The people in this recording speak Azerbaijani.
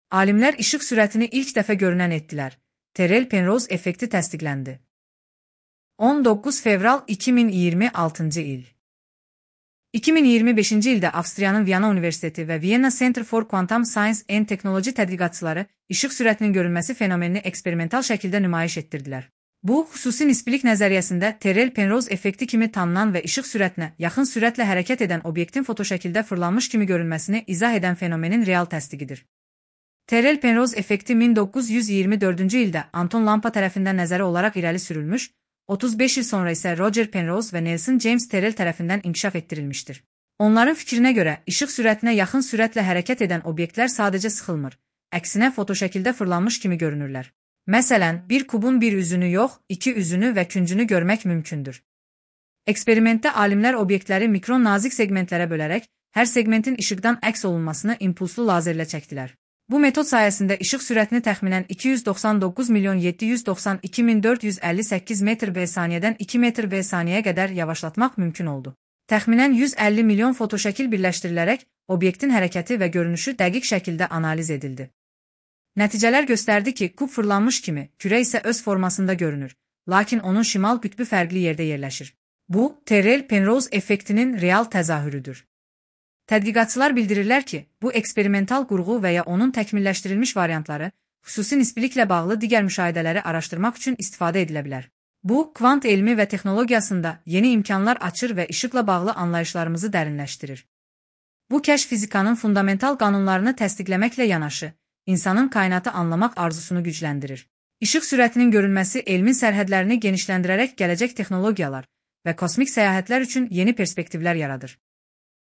Alimlər işıq sürətini ilk dəfə görünən etdilər. Terrell Penrose effekti təsdiqləndi. 19 fevral 2026-cı il. 2025-ci ildə Avstriyanın Viyana Universiteti və Vienna Center for Quantum Science and Technology tədqiqatçıları işıq sürətinin görünməsi fenomenini eksperimental şəkildə nümayiş etdirdilər. Bu, xüsusi nisbilik nəzəriyyəsində Terrell Penrose effekti kimi tanınan və işıq sürətinə yaxın sürətlə hərəkət edən obyektin fotoşəkildə fırlanmış kimi görünməsini izah edən fenomenin real təsdiqidir. Terrell Penrose effekti 1924-cü ildə Anton Lampa tərəfindən nəzəri olaraq irəli sürülmüş, 35 il sonra isə Roger Penrose və Nelson James Terrell tərəfindən inkişaf etdirilmişdir. Onların fikrinə görə, işıq sürətinə yaxın sürətlə hərəkət edən obyektlər sadəcə sıxılmır, əksinə fotoşəkildə fırlanmış kimi görünürlər. Məsələn, bir kubun bir üzünü yox, iki üzünü və küncünü görmək mümkündür. Eksperimentdə alimlər obyektləri mikron nazik segmentlərə bölərək, hər segmentin işıqdan əks olunmasını impulslu lazerlə çəkdilər. Bu metod sayəsində işıq sürətini təxminən 299.792.458 metr/saniyədən 2 metr/saniyəyə qədər yavaşlatmaq mümkün oldu. Təxminən 150 milyon fotoşəkil birləşdirilərək, obyektin hərəkəti və görünüşü dəqiq şəkildə analiz edildi. Nəticələr göstərdi ki, kub fırlanmış kimi, kürə isə öz formasında görünür, lakin onun şimal qütbü fərqli yerdə yerləşir. Bu, Terrell Penrose effektinin real təzahürüdür. Tədqiqatçılar bildirirlər ki, bu eksperimental qurğu və ya onun təkmilləşdirilmiş variantları xüsusi nisbiliklə bağlı digər müşahidələri araşdırmaq üçün istifadə edilə bilər. Bu, kvant elmi və texnologiyasında yeni imkanlar açır və işıqla bağlı anlayışlarımızı dərinləşdirir. Bu kəşf fizikanın fundamental qanunlarını təsdiqləməklə yanaşı, insanın kainatı anlamaq arzusunu gücləndirir. İşıq sürətinin görünməsi elmin sərhədlərini genişləndirərək gələcək texnologiyalar və kosmik səyahətlər üçün yeni perspektivlər yaradır.